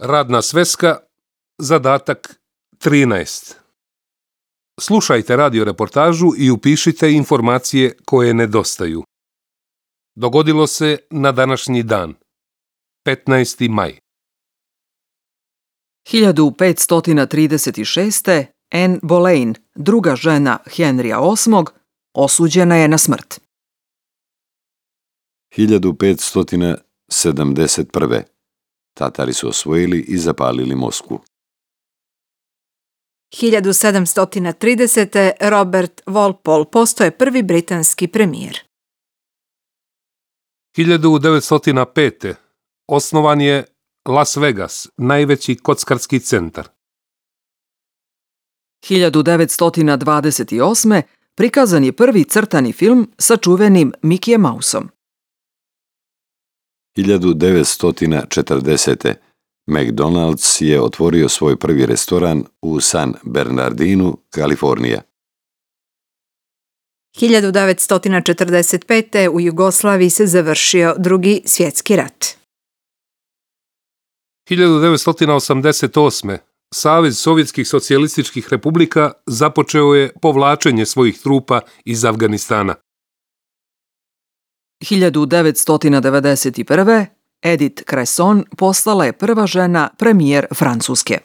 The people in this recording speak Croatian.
Radna sveska, zadatak 13. Slušajte radio reportažu i upišite informacije koje nedostaju. Dogodilo se na današnji dan, 15. maj. 1536. Anne Boleyn, druga žena Henrija VIII, osuđena je na smrt. 1571. Tatari su osvojili i zapalili Moskvu. 1730. Robert Walpole postaje prvi britanski premijer. 1905. Osnovan je Las Vegas, najveći kockarski centar. 1928. prikazan je prvi crtani film sa čuvenim Mickeyem Mouseom. 1940. McDonald's je otvorio svoj prvi restoran u San Bernardinu, Kalifornija. 1945. u Jugoslaviji se završio Drugi svjetski rat. 1988. Savez Sovjetskih socijalističkih republika započeo je povlačenje svojih trupa iz Afganistana. 1991. Edith Cresson postala je prva žena premijer Francuske.